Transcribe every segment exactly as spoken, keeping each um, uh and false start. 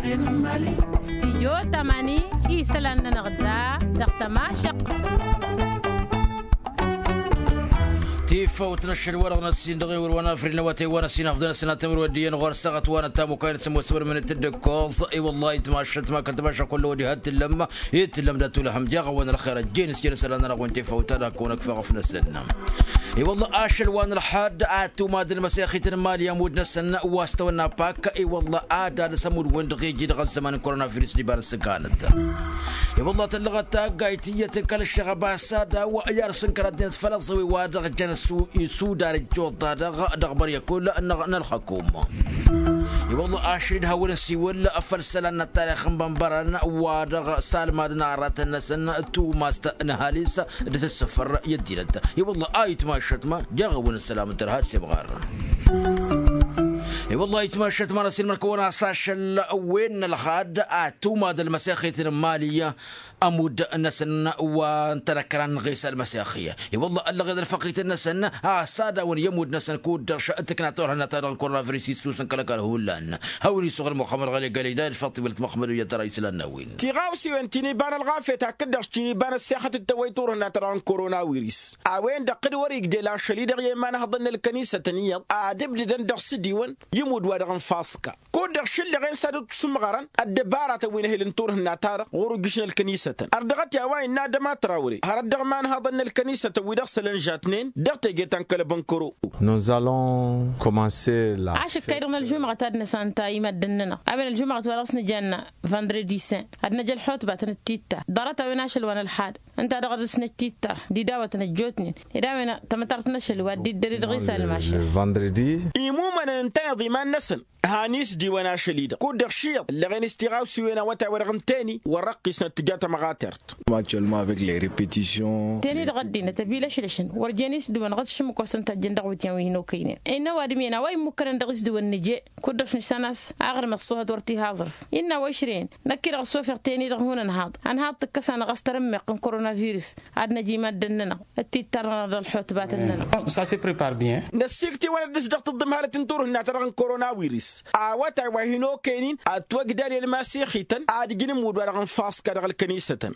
Stijyo tamani isălan-nănăɣ da dăɣ-tămašăɣt. Tifawt n-ašăl wa-dăɣ n-ăssin dăɣ-iwăr wa n-afrin n-awătay wa n-ăssin afḍăn ăssinatăn wăr ăddiyăn ɣur-săɣăt wa n-ătamukay n-sămoos wăr mănăt d-ǝkkoẓ. I-wăllah itmašăt ma kăl-tămašăɣt kull ăwădi ha t-tǝllăm. Itǝllăm d-atulăhăm jaɣ-awăn ălxer ăjjeen s-jăn isălan-nănăɣ wi n-tifawt ad-hak-kăwăn-ăkfeɣ ăfnăsăn. I-wălla ašăl wa n-ălxad ad-tumadăn măsexit n-imali ămudd-năsăn wa s-tăwănna pak. I-wălla ad-alǝs ămudd wen-dăɣ iji dăɣ-ăzzăman n-koronavirus d-iba n-ǝssǝkanăt. I-wălla tăllăɣăt taggayt iyyăt n-kăl-ăššăɣăb a-s ad-awăy i-ad-sǝnkăr ăddinăt făll-ăẓẓăwi wa dăɣ-jăn s-isudar ǝjjuḍ-ta-dăɣ dăɣ-băryăkull n-ălxăkum. I-wălla ašăl-dd hawăn-nǝsiwǝl făll-isălan n-ăttarix n-bănbărăn wa dăɣ-salmadăn aratăn-năsăn tumast n-ăhalis d-tǝssǝfăr i-ăddinăt. I-wălla a itmašăt ma jaɣ-awăn-ăssălam d-tărha d-semɣar. I-wălla itmašăt ma n-ăsilmăr-kăwăn a-s ašăl wen n-ălxad ad-tumadăn ălmăsexit n-imali ămudd-năsăn wa n-tanăkkăra n-ɣisa ălmăsexi. I-wălla ăllăɣeḍ ălfăqităn-năsăn a-s ad-awăn i-ămudd-năsăn kud-dăɣ tǝkna turhǝnna-ta-dăɣ n-koronavirus issusăn kăl-ăkall hullan. Hawăn-isuɣ ălmuxămmăd ɣăli gălida d-făṭṭibăl tămăxmăd u-jăt tăra islan n-a-wen. Tiɣawsiwen ti n-iba n-ălɣafyăt hakd-dăɣ ti n-iba n-ăssexăt d-tawăy turhǝnna-ta-dăɣ n-koronavirus a-wen-dăɣ d-wăr-igdel ašăl-i-dăɣ i-imanhăḍăn n-ălkănisătăn iyyăḍ ad-ǝbdǝdăn dăɣ-s dd-iwăn i-imud-wa-dăɣ n-faska. Kud-dăɣ šǝllăɣen s-ad-dd sǝmɣărăn ăddăbaratăn wi n-ehǝl n-turhǝnna-ta-dăɣ ɣur-ujjǝš n-ălkănisătăn har dăɣ-t i-a-wa innă adăma trawre har ăddăɣman haḍăn n-ălkănisătăn wi-dăɣ sălănžatnen dăɣ-teje ta n-kăl-abănkăro. Nous allons commencer la ašǝkkay-dăɣ n-ălžumăɣăt ad-năsanta i-maddǝn-nănăɣ a-wen ălžumăɣăt wa dăɣ-s nǝjannă vendredi saint ad-năj ălxutbatăn d-titta ḍarăt-a-wen ašăl wa n-ălxad ǝnta-dăɣ ad-dăr-s năj titta d-idawătăn ăjjootnen ed a-wen tamătart n-ašăl wa dd-iddăr-i dăɣ-isal mašal. Vendredi imumănăn ǝntăneḍ iman-năsăn. Han-isdiwăn ašăl-i-dăɣ kud-dăɣ šiyyăḍ ǝllăɣen s-tiɣawsiwen awătay-wa-dăɣ n-teni wăr-ăqqisnăt tǝja tamăɣatert. Actuellement avec les repetitions teni-dăɣ ăddinăt ăbilăšlăšăn wăr jen isdǝwăn ɣas šǝmmǝk wa s-tăn-tajjăn dăɣ-iwǝtyan wi hin-okăynen innă ăwadǝm-en a-wa immukkănăn dăɣ-isdǝwăn nǝje. Kud-dăɣ s-nǝšsan a-s aɣrǝm ăṣṣuhăt wăr t-ihaẓrǝf innă a-wa išrăyăn năkk-i-dăɣ ăṣṣofeɣ teni-dăɣ hun-ănhaḍ ănhaḍ tǝkkăs-anăɣ a-s tărǝmmeɣt n-koronavirus ad-năj i-maddǝn-nănăɣ d-tittar-nănăɣ d-ălxutbatăn-nănăɣ. Năssikt'-iwăn ad-dăɣ-s dăɣ-tǝḍḍǝm harăt n-turhǝnna-ta-dăɣ n-koronavirus a-wa taywa hin-okăyăn-in ad-twăgdal i-ălmasixităn ad-ǝjǝn ǝmmud-wa-dăɣ n-faska dăɣ-ălkănisătăn.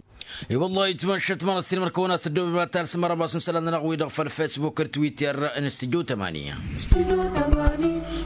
I-wăllah itmăššăt ma n-ăssiilmăr-kăwăn a-s ăddooben ma talsăm arămas n-isălan-nănăɣ wi-dăɣ făll-facebook d-twitter n-s tǝjjǝw tămani.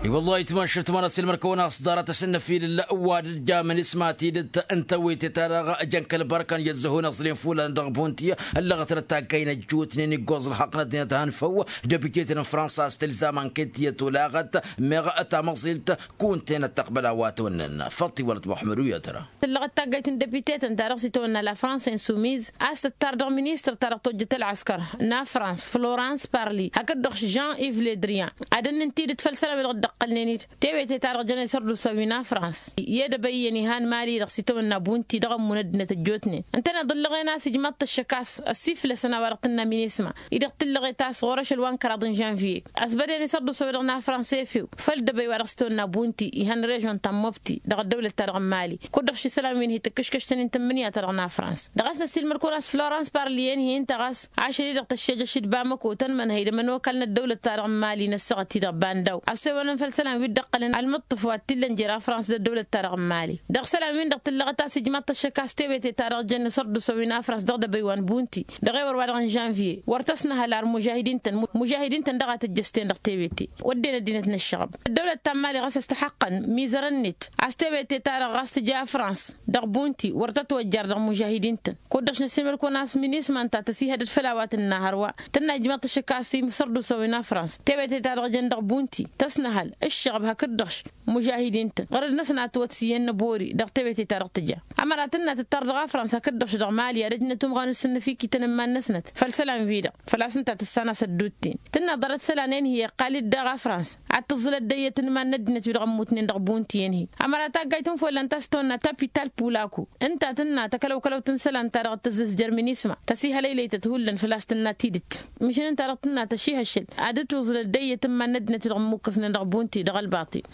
I-wăllah itmăššăt ma n-ăssiilmăr-kăwăn a-s ḍarăt asǝnnăfilǝl wa d-ǝjjamăn isma tidǝt n-tewete-ta-dăɣ ăjăn kăl-bărkăn i-ăzzăhun ăẓlin fulan dăɣ-bunti. Ăllăɣătnăt taggay n-ăjjootnen iggoẓ ălxaqq n-ăddinăt a hăn făw. Dăbitete n-fransa a-s tǝlzam anket i-ătolăɣăt meɣ tamăẓilt kunte n-ăttăqbăl a-wa tăwănnăn făṭṭ iwălăt muḥămmăd u-yatăra. Tǝllăɣăt taggayt n-dăbiteten ta dăɣ-s itawănna la fransa insoumise a-s tǝttar dăɣ-ministăr ta dăɣ-tojjăt ălɣăskăr n-afrans florans parli hakd-dăɣ jean iv ledrian ad-ănnǝn tidǝt făll-isălan wi-dăɣ dd-ăqqălnen-dd tewete ta dăɣ-jăn isărdusa wi n-afrans i-edăbăy iyyăn ihan mali-dăɣ s-itawănna bunti dăɣ-ămmun ăddinăt ăjjootnen. Ǝntăneḍ ǝllăɣen a-s ijmaḍ-t ăššăk a-s ăsiflăsăn a-wa dăɣ-tǝnna minisma-i-dăɣ tǝllăɣet a-s ɣur-ašăl wa n-kăraḍ n-žănviye. Ăsbădăn isărdusa wi-dăɣ n-afrans efew făll-dăbăy wa dăɣ-s itawănna bunti ihăn režon ta n-mobti dăɣ-ăddăwlăt-ta-dăɣ n-mali kud-dăɣ šisălan wi n-hi-tǝkkǝškăštăn-in tǝmmǝnǝya-ta-dăɣ n-afrans. Dăɣ-a-s năssiilmăr-kăwăn a-s florans parli i-ănhi-in-tăɣ a-s ašăl-i-dăɣ tăššejăš d-bamăko tănmănhăy d-ămănokal n-ăddăwlăt-ta-dăɣ n-mali n-ăssaɣăt-i-dăɣ bandaw ăssewănăn făll-isălan wi dd-ăqqălăn ălmǝṭṭǝf wa t-illăn jer-afrans d-ăddăwlăt-ta-dăɣ n-mali. Dăɣ-isălan-win-dăɣ tǝllăɣăt a-s ijmaḍ-t ăššăk a-s tewete-ta-dăɣ jăn isărdusa wi n-afrans dăɣ-dăbăy wa n-bunti dăɣ-ewăr wa dăɣ-n žănviye wăr tăsnăhăl ar mužahidin-tăn mužahidin-tăn dăɣ-a tǝjjăsten dăɣ-tewete. Wădden ăddinăt n-ăššăɣăb ăddăwlăt ta n-mali ɣas ăstăxăqqăn mizărăn-net a-s tewete-ta-dăɣ ɣas tǝja afrans dăɣ-bunti wăr tătwăjjar dăɣ-mužahidin-tăn. Kud-dăɣ šnăssiilmăr-kăwăn a-s minisma ǝnta tăsihădăd făll-a-wa tǝnna hărwa tǝnna ijmaḍ-t ăššăk a-s isărdusa wi n-afrans tewete-ta-dăɣ jăn dăɣ-bunti tăsnăhăl ǝššăɣăb hakd-dăɣ mužahidin-tăn ɣărăd-năsăn a ătwăt s-iyyăn n-ăbori dăɣ-tewete-ta-dăɣ tǝja. Ămăra tǝnna tǝttar dăɣ-afrans hakd-dăɣ dăɣ-mali ad-ăjnăt umɣan n-sǝnnăfikităn n-iman-năsnăt făll-isălan-wi-dăɣ făl-a-s ǝnta tǝssan a-s ădduutten. Tǝnna ḍarăt isălan i-ănhǝy iqqal-dd daɣ afrans ad-tǝẓẓǝl ăddăyyăt n-iman n-ăddinăt wi-dăɣ ămmutnen dăɣ-bunti i-ănhǝy. Ămăra taggayt n-follan ta s-tăwănna tapital pulaku ǝnta tǝnna takălăwkălăwt n-isălan-ta-dăɣ d-tǝzzǝzjăr minisma tăsihălăylăytăt hullan făl-a-s tǝnna tidǝt. Măšan ǝnta-dăɣ tǝnna tăšihăššăl ad-ǝtwǝẓǝl ăddăyyăt n-iman n-ăddinăt wi-dăɣ ămmukkăsnen dăɣ-bunti dăɣ-ălbaṭil.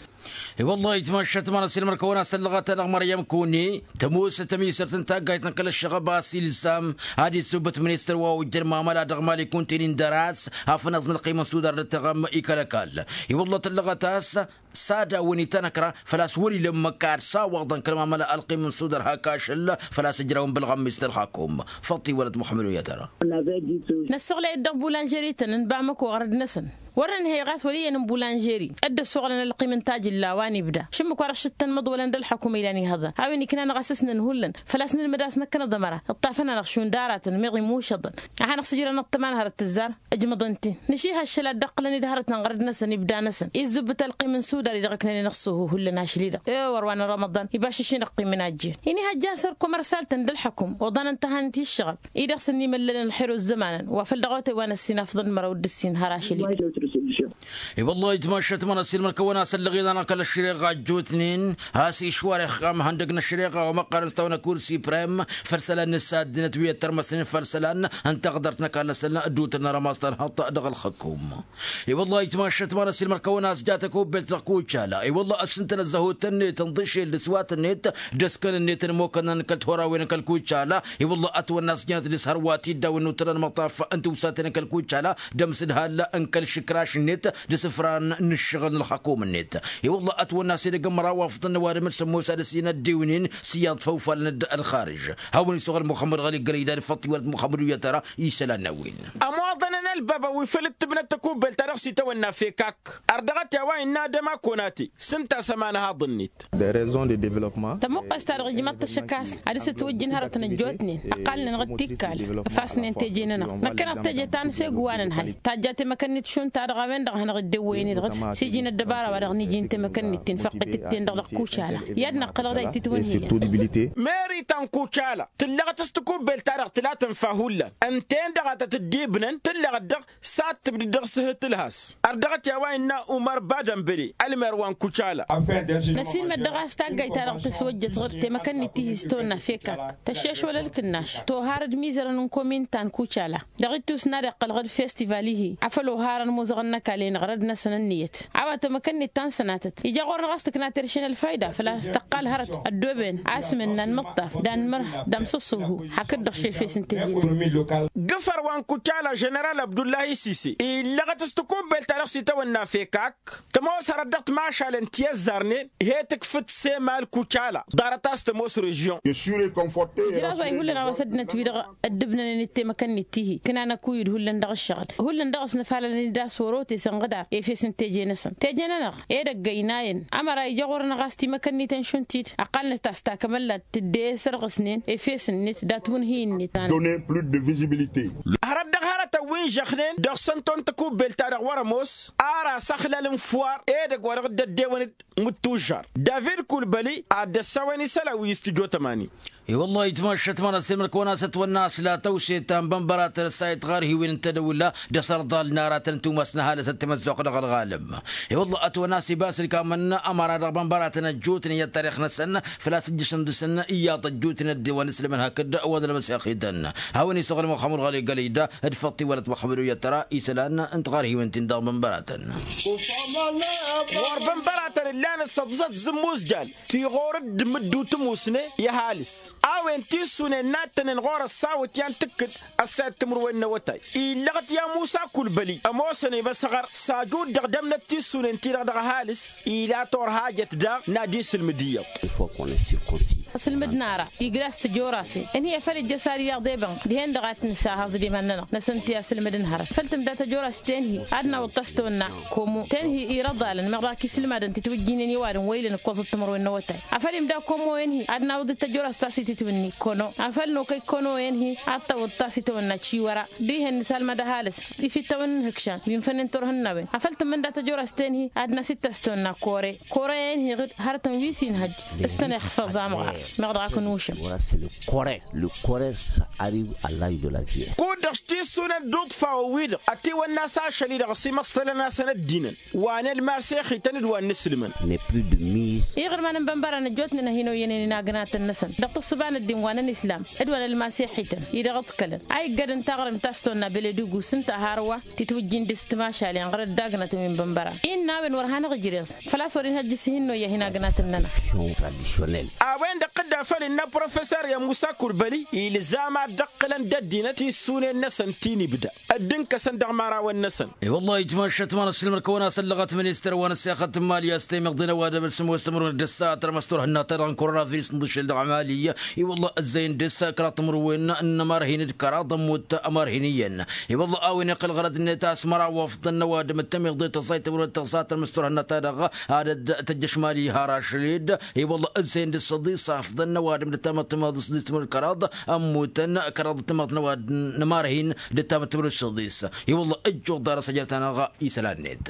I-wăllah itmăššăt ma n-ăsilmăr-kăwăn a-s ăllăɣăt-anăɣ măryăm kune tămoosăt ămisărt n-taggayt n-kăl-ăššăɣăb a-s ilzam ad-issǝwbăt ministăr wa ojjăn mamăla dăɣ-mali kunte-nin dăr-a-s afnăẓ n-ălqim n-sudar d-ăttăɣăm i-kăl-ăkall. I-wăllah tăllăɣăt a-s s-ad-awăn-itanăkra făl-a-s wăr-ila ǝmmǝk ad-sawaḍăn kăl-mamăla ălqim n-sudar hak ašăl. Făl-a-s ǝjrawăn bălɣămmis n-ălxakum făṭṭi wălăt muxămmăd u-yatăra. Năssăɣlăy-dd dăɣ-bulanžeri-tăn n-bamăko ɣărăd-năsăn wăr-nǝnhăy ɣas wăl' iyyăn n-bulanžeri. Dd-ăssoɣlăn ălqim n-tajǝlla wa n-ibda šǝmmǝk wa dăɣ-šǝttăn măḍwălăn d-ălxakum ilan ihăḍăn hawăn-iknan ɣas s-nǝnhǝy hullan făl-a-s nǝlmǝd a-s năkkănăḍ ămăra. Ǝṭṭafăn-anăɣ šund aratăn meɣ imušăḍăn ad-hanăɣ-sǝjrăn ăṭṭăma n-hărăt tǝzzar. Ǝjmăḍăn-t-in nǝšihăššăl ad-dd-ăqqǝlăn-dd hărăt n-aɣrǝd-năsăn ibda-năsăn izzǝbbǝt ălqim n-sudar-i-dăɣ ǝknănen ăṣṣuhu hullan ašli-dăɣ. E-wăr wa n-rămăḍan ibas išin ăqqim n-ajjen-i n-ihăjja n-săr komărsal-tăn d-ălḥăkum oḍan n-tahant iššăɣăb-i-dăɣ s-ănn imăllălăn ălxer ozămanăn wa făl dăɣ-otay wa n-ăssin afḍăn d-măraw d-ǝssin har ašli-dăɣ. I-wăllah itmašat mănăsilmăr kăwăn-asăllăɣ iḍanăɣ kăl-ăššăreɣa ăjjootnen has-išwar ixxam ihăndăg n-ăššăreɣa wa măqqărăn s-tawănăkur siprem făll-isălan n-ǝssa ăddinăt wi ăttărmăsnen făll-isălan n-taɣdărt n-ăkall-năsăn dd-utălăn rămas tanhăḍt dăɣ-ălxăkum. I-wăllah itmašat mănăsilmăr kăwăn-asja tăkubelt dăɣ-kucala i-wăllah ăssintăn ăzzăhut-net n-iḍǝšel d-ăswat-net d-ăskăn-net n-imokănăn kăl-tihorawen n-kăl-kucala. I-wăllah ătwănna s-jănăt d-ishărwa tiddawen n-utălăn măṭṭaf n-tiwsaten n-kăl-kucala d-amsǝdhal n-kăl-išǝkraš-net d-isǝfran n-ǝššăɣǝl n-ălxakum-net. I-wăllah ătwănna s-edăgg n-măraw afḍăn n-ăwadǝm d-sămmos ad-ăsinăddewnen s-iyyăḍ făw falăn-dd ălxarǝž. Hawăn-isuɣǝl muxămmăd ɣăli gălăy dan făṭṭ iwălăt muxămmăd u-iyyăt ara isălan n-a-wen. Ămoḍăn n-ălbaba wi făl ǝttǝbnăt takubelt-ta-dăɣ s-itawănna fekak ărdăɣăt i-a-wa innă adăma konate s-ǝnta a-s ămanhaḍ-net. Tămuqqes-ta-dăɣ ijmăḍ-t ăššăk a-s ad-dăr-s ǝtwǝjjǝn hărătăn ăjjootnen ăqqalnen-dăɣ d-tikkal ăfasnen teje-nănăɣ năkkăneḍ teje ta n-asegu wa nǝnhăy tajja temăkăn-net šund-ta-dăɣ a-wen-dăɣ a hanăɣ-dd-ewwăyăn-i-dăɣ s-iji n-ăddăbara wa dăɣ-niji n-temăkăn-net-in făqqǝtǝt-ten-dăɣ dăɣ-kucala i-ad-năqqălăɣ dayǝt titwǝnhǝyăn. Meri ta n-kucala tǝllăɣăt s-takubbelt-ta-dăɣ tǝla tǝnfa hullan ǝnta-en-dăɣ a tăt-dd-ibnăn tǝllăɣăt dăɣ-s ad-tǝbdǝd dăɣ-s ehǝt ǝlhas. Ărdăɣăt i-a-wa innă umăr badănbăle ălmer wa n-kucala. Năsiilmăd dăɣ-a-s taggayt-ta-dăɣ tăswăjjăt ɣur-temăkăn-nit tihi s-tawănna fekak tăššešwăl ălkǝnnaš toharăd imizărăn n-komin ta n-kucala dăɣ-ittus n-ad-iqqăl ɣǝd festival-ihi afăl oharăn imuzăɣăn n-ăkall-i n-iɣrăd-năsăn ǝnniyăt. A-wa temăkăn-nit ta n-sănatăt ija ɣur-năɣ a-s tǝkna terše n-ălfayda făl-a-s tăqqal hărăt ăddooben asmǝn n-anmǝṭṭaf d-anmărh d-amsǝṣṣuhu hakd-dăɣ šefes n-teje-nănăɣ. Gǝfăr wa n-kucala ženeral abdullahi sise illăɣăt s-takubbelt-ta-dăɣ s-itawănna fekak tămoos hărăt dăɣ-timašalen ti ăzzarnen he-tǝkfǝt semal kucala ḍarăt a-s tămoos režyon. Ijraẓay hullan a-wa s-ăddinăt-wi-dăɣ ăddǝbnănen d-temăkăn-nit tihi ǝknan ăkuyǝd hullan dăɣ-ǝššăɣǝl hullan dăɣ-s nǝfalălăn-dd a-s wăr-ote s-ănɣǝdar efes n-teje-năsăn teje-nănăɣ edăgg ăynayăn ămăra ija ɣur-năɣ a-s timăkăn-niten šund-t-dd ăqqalnăt a-s takămăllat tǝdde i-sărɣǝsnen efes-net datwǝnhǝy-net. Hărăt dăɣ-hărătăn wi n-žăxnen dăɣ-săn ton takubbelt-ta-dăɣ wăr-ămoos ar asăxlăl n-fuwar edăgg wa dăɣ-dd-ăddewăn d-imǝttužžar david kulbăli ad-dd-ăssawăn isălan wi s-tǝjo tămani. I-wăllah itmašat măra s-emăr kăwăn-asăt wănna a-s la tăwse ta n-bănbăratăn ăssayăt ɣarhiwen n-tedăwla d-asărḍal n-aratăn n-tumas n-ăhalăs ăttimăzzuɣ dăɣ-ălɣalăm. I-wăllah ătwănna a-s ibas ǝlkamăn ămăra dăɣ-bănbăratăn ăjjootnen i-ăttarix-năsăn făl-a-s ǝjjǝšăn dăɣ-săn iyyăḍ ăjjootnen ăddewăn isǝlmăn hakd wădăl măsexităn. Hawăn-isăɣǝl muxămăd ɣăli gălăyda d-făṭṭi wălăt muxămăd u-iyyăt tăra isălan n-tiɣarhiwen-tin-dăɣ bănbăratăn. Ɣur-bănbăratăn ǝllanăt săḍǝsăt zǝmmuzjal ti ɣur-dd mǝddu tǝmusne i-ăhalǝs a-wen tissunen n-ad-tănen ɣur-ăssawăt i-ad-tǝkkǝd ăssayăt timǝrwen n-awătay. Illăɣăt i-amusa kulbăli ămoosăn i-măsăɣăr s-ajud dăɣ-dămnăt tissunen-ti-dăɣ dăɣ-ăhalǝs ila torhajăt daɣ n-ad-isǝlmǝd iyyăḍ. Ăsǝlmǝd-nara igla s-tăjorase ǝnhǝy afăl ijjăs ad-iyyăḍ i-bănk dihen-dăɣ ad-t-nǝsa haẓ d-iman-nănăɣ năsăn ti asǝlmǝd n-hărăt făl tǝmda tăjorast tenhi ad-nawǝḍ ta s-tawănna komo tenhi irăḍalăn meɣ dăɣ-ak isǝlmadăn titwǝjjinen i-ăwadǝm wa ilăn ǝkkoẓăt timărwen n-awătay afăl imda komo enhi ad-nawǝḍ d-tăjorăst ta s-ititwǝnni kono afăl nokăy kono enhi ad-tawǝḍ ta s-itawănna ciwăra dihen nǝsalmăd ăhalǝs ifitawăn n-ihǝkšan wi n-fănnen turhǝnnawen afăl tǝmmǝnda tăjorăst enhi ad-năsitta s-tawănna kore kore enhi ɣǝd hărătăn wi s-inhăjj s-tăn-ixfăẓ amɣar meɣ dăɣ-ak nušăm. Kore lǝkkorer s-arib ăllaj de la vie. Kud-dăɣ s-tissunăn d-uḍfawăn-wi-dăɣ ătiwănna s-ašăl-i-dăɣ ăsimăṣtălăn-asăn ăddinăn wa n-ălmasexităn d-wa n-inǝslǝmăn. Iɣrǝman n-bănbăran ăjjootnen a hin-oyyănen inagnatăn-năsăn dăɣ-tǝssǝba n-ăddin wa n-ănislam d-wa n-ălmasexităn-i-dăɣ ǝḍkălăn a iggădăn taɣrǝmt ta s-tonna băled ugus ǝnta hărwa titwǝjjin dăɣ-s timašalen ɣur-ăddagnătăn wi n-bănbăran innă a-wen wăr hanăɣ-ijreẓ făl-a-s wăr-inhăjj s-hin-noyya hinagnatăn-nănăɣ. A-wen-dăɣ Ăqqǝdda făll-innă professer i-musa kulbăli ilzam ad-dd-ǝqqǝlăn d-ăddinăt tissunen-năsăn ti n-ibda ăddin-kăsăn dăɣ-imărawăn-năsăn. I-wăllah itmašat ma n-asǝlmăr kăwăn-as ăllăɣăt ministăr wa n-ăssexăt n-imali a-s temiḍen ăwadǝm d-sǝmmos timǝrwen d-ăssaɣăt rămăs turhǝnna-ta-dăɣ n-korona virǝs n-dăšel dăɣ-imali. I-wăllah ǝzzăyăn dăr-s kăraḍ timǝrwen n-imărhin d-kăraḍ ămmut imărhin iyyăn. I-wăllah a-wen iqqăl ɣărăd-net a-s măraw afḍăn n-ăwadǝm d-temiḍe tăẓẓay timǝrwen d-tăẓẓa tărmǝs turhǝnna-ta-dăɣ ad-ădd tăjjăš imali har ašăl-dd. I-wăllah ǝzzăyăn dăr-s ăḍis afḍăn n-ăwadǝm d-ăttamăḍ timǝrwen d-săḍis timǝrwen d-kăraḍ ămmutăn kăraḍ d-tămăḍ n-ăwadǝm n-imărhin d-ăttamăḍ timǝrwen d-săḍis. I-wăllah ăjjuḍ dar asăjăr-ta-năɣ isălan-net.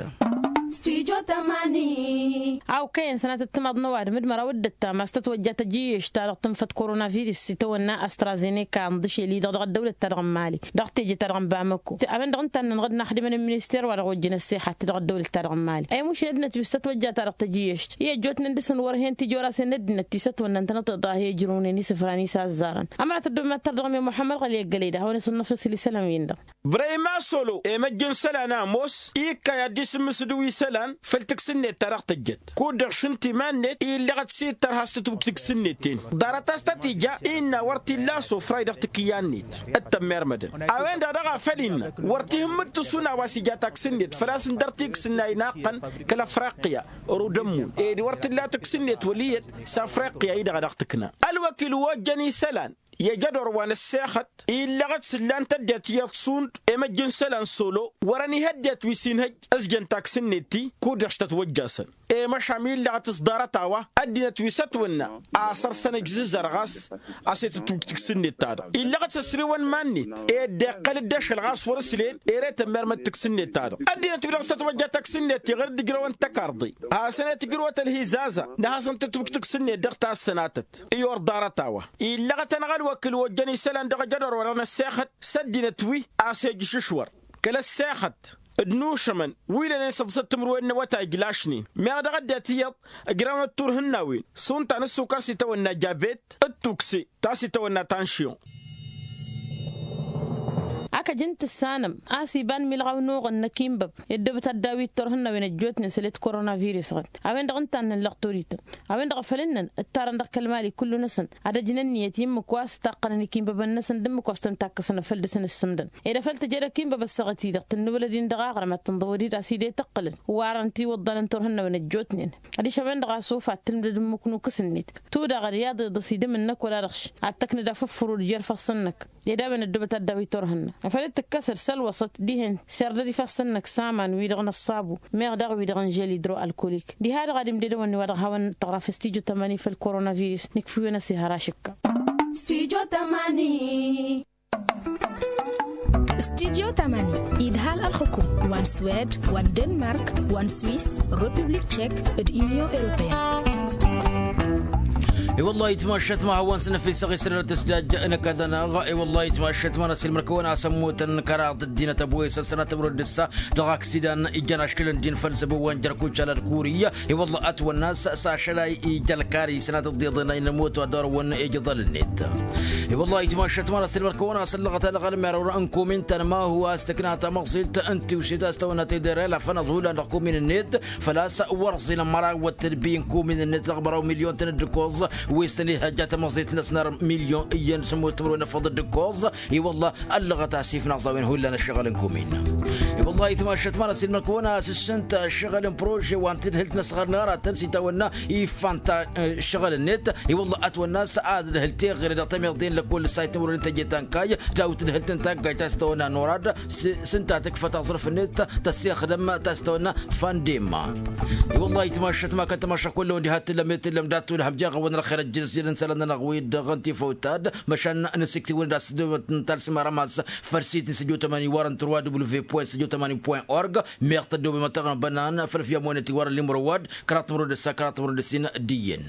Studio tămani. A okăyăn sănatăt timaḍ n-ăwadǝm d-măraw d-ăttam a-s tătwăjja tăjjǝyyešt-ta-dăɣ tǝnfăt korona virǝs s-itawănna astrazeneka n-dăšel-i-dăɣ dăɣ-ăddăwlăt-ta-dăɣ n-imali dăɣ-teje-ta-dăɣ n-bamăko. A-wen-dăɣ ǝnta-nănăɣ d-inaxdimăn n-minister wa dăɣ-ojjăn ăssexat dăɣ-ăddăwlăt-ta-dăɣ n-imali ăymušǝl ăddinăt wi s-tătwăjja ta-dăɣ tăjjǝyyešt i-ăjjootnen dăr-săn wăr-hen tijorase n-ăddinăt ti s-ătwănnăn tănăḍeḍ a he-ǝjrǝwnen isǝfran isazzarăn. Ămăra tăddob ma tar-dăɣ mi muḥămmăd ɣăli ăggălăy d-ad-hawăn-isǝnnăf isǝl isălan-win-dăɣ. Brăyma solo i-măjj n-isălan ămoos ikka i-ad-dd-isǝmmǝsǝdǝw isălan făll-tǝksǝnnet ta dăɣ-tǝjjăt kud-dăɣ šund timan-net illăɣăt s-ittăr has-tǝtwǝj tǝksǝnnet-en. Ḍarăt a-s tăt-ija innă wăr t-illa asofray dăɣ-tikǝyya-net d-tămmermădăn. A-wen-dăɣ dăɣ-a făl innă wăr t-ihǝmmǝd tǝsuna wa s-ija taksǝnnet făl-a-s ǝndăr tiksǝnna inaqqăn kăl-afriqya, rud ămmun ed wăr t-illa tǝksǝnnet wăl' iyyăt s-afriqya-i-dăɣ a dăɣ-tǝkna. Ălwăkil wa ojjăn isălan i-ajădor wa n-ăssexăt illăɣăt s-ǝllan-t ăddinăt iyyăḍ šund i-măjj n-isălan solo wăr-ănihăddinăt wi s-inhăjj ǝzjăn taksǝnnet-i kud-dăɣ s-tătwăjjasăn. I-măšan illăɣăt s-ḍarăt-a-wa ăddinăt wi s-ătwănna a săr-săn ǝjzǝzăr ɣas a-s i-tǝtwǝj tǝksǝnnet-ta-dăɣ illăɣăt s-ăsriwăn iman-net ed dd-iqqăl-dd ašăl ɣas wăr-ǝslen ere tămmermăd tǝksǝnnet-ta-dăɣ. Ăddinăt-wi-dăɣ s-tătwăjja taksǝnnet iɣăr dd-ǝjrăwăn tăkarḍe hasăn-e-tǝjrǝwăt ălhizaza n-ad-hasăn-tǝtwǝj tǝksǝnnet dăɣ-tassănatăt. I-or ḍarăt-a-wa illăɣăt-anăɣ ălwăkǝl wa ojjăn isălan dăɣ-ajădor wa dăɣ-năssexăt s-ăddinăt wi a-s ejǝš ǝšwăr kăl-ăssexăt d-inušămăn wi lănen săḍisăt timǝrwen n-awătay ǝjlašnen meɣ dăɣ-ăddinăt iyyăḍ ǝjrawnăt turhǝnnawen s-unta n-ǝssukar s-itawănna jabet d-tukse ta s-itawănna tanšyon. Akăj n-tǝssanăm a-s iba n-milɣaw n-oɣăn n-ăkinbăb i-ăddoobăt ad-daw-dd turhǝnnawen ăjjootnen sălet korona virǝs-ɣǝd. A-wen-dăɣ ǝnta a ǝnnăn lăɣturităn a-wen-dăɣ a făl ǝnnăn ǝttarăn dăɣ-kăl mali kullu-năsăn ad-ăjnăn ǝnniyăt i-ǝmmǝk wa s-taqqănăn ikinbăbăn-năsăn d-ǝmmǝk wa s-tăn-takkăsăn afăl dăr-săn ǝssǝmdăn. Ed afăl tǝjăd akǝnbăb ăssaɣăt-i-dăɣ tǝnnǝwlăd-in dăɣ-aɣrǝm ad-tǝnḍăwăd-dd a-s dd-e-tǝqqǝlăn warăn tiwǝḍḍalăn turhǝnnawen ăjjootnen adiš a-wen-dăɣ a-s ufa ad-tǝlmǝdăd ǝmmǝk n-ukǝs-net. Tudaɣăd i-aḍeḍăs idǝm-năk wăla dăɣ-š ad-tăknǝd afǝffǝru d-jer-ifassăn-năk. Ed a-wen ăddoobăt ad-daw-dd turhǝnna afăl dd-tǝkkăsăd s-ălwăṣăt dihen serdăd ifassăn-năk s-aman-wi-dăɣ n-ăṣṣabu meɣ daɣ wi-dăɣ n-žel idro ălkolik. Diha-dăɣ ad-imded a-wen-dd-iwa dăɣ-hawăn-tăɣraf s-tijo tămani făll-korona virus nǝkfǝyăn ăsihăr ašǝkka. Studio tămani. Studio tămani idhal ălxǝkum wa n-swed wa n-denmark wa n-swis, republik tšek d-union europeyăn. I-wăllah itmašat ma hawăn-s năfisăɣ isălălăt s-dajj n-ăkall-nănăɣ. I-wăllah itmašat ma n-asǝlmăr kăwăn-asăn mutăn kăraḍ ăddinăt ăbwes ăssănat ămrăw d-ǝssa dăɣ-aksidan ijăn aškǝlăn din făll-zăbo wa n-jărkuc alăd kuriya. I-wăllah ătwănna a-s ašăl a ija ălkari sănatăt d-iḍen a inămot wa dd-orăwăn ijăḍăl-net. I-wăllah itmašat ma n-asǝlmăr kăwăn-asăn lăɣăt anăɣ-ălmer n-kumin-tăn ma hu a-s tǝkna tamăẓilt n-tiwsit a-s tăwănna tedere la fănăẓ hullan dăɣ-kumin-net. Făl-a-s wăr ẓilăn mărawăt tǝdbi n-kumin-net dăɣ-măraw milyon-tăn d-ǝkkoẓ wi s-tăn-ihăjja tamăẓilt-năsnăr milyon iyyăn sămoos timǝrwen n-efăḍ d-ǝkkoẓ. I-wăllah ăllăɣăt asif n-aẓawen hullan ăššăɣǝl n-kumin. I-wăllah itmašat ma n-asǝlmăr kăwăn-asǝssǝnt ăššăɣǝl n-prože wa n-tadhǝlt n-asɣar n-aratăn s-itawănna ifan ta ăššăɣǝl-net. I-wăllah ătwănna a-s ad-dd-hǝl teɣăre dăɣ-tamiḍe n-lăkkol s-a itmurăd n-teje ta n-kayy dawt d-hǝlt n-taggajt ta s-tăwănna norad s-ǝnta tǝkfăt aẓrǝf-net tăssexdăm ta s-tăwănna fandemma. I-wăllah itmašat ma kăn-tămašăɣ kull-a-wen diha t-tǝllăm i-tǝllăm dat-tulhăm jeɣ-awăn ălxer ăjjǝn s-jădăn isălan-nănăɣ wi-dăɣ n-tifăwt ta d-măšan nǝsǝktiwăn d-asǝdǝwăt n-talsǝmara ma-s făll-sit n-săjo tămani warăn turwa w point săjo tămani point org. Meɣ tăddoobem ad-tăɣnăbănnan făll-fiyăm wa n-etiwarăn limrăwad kăraḍ timrăw d-ǝssa kăraḍ timrăw d-ǝssin d-iyyăn.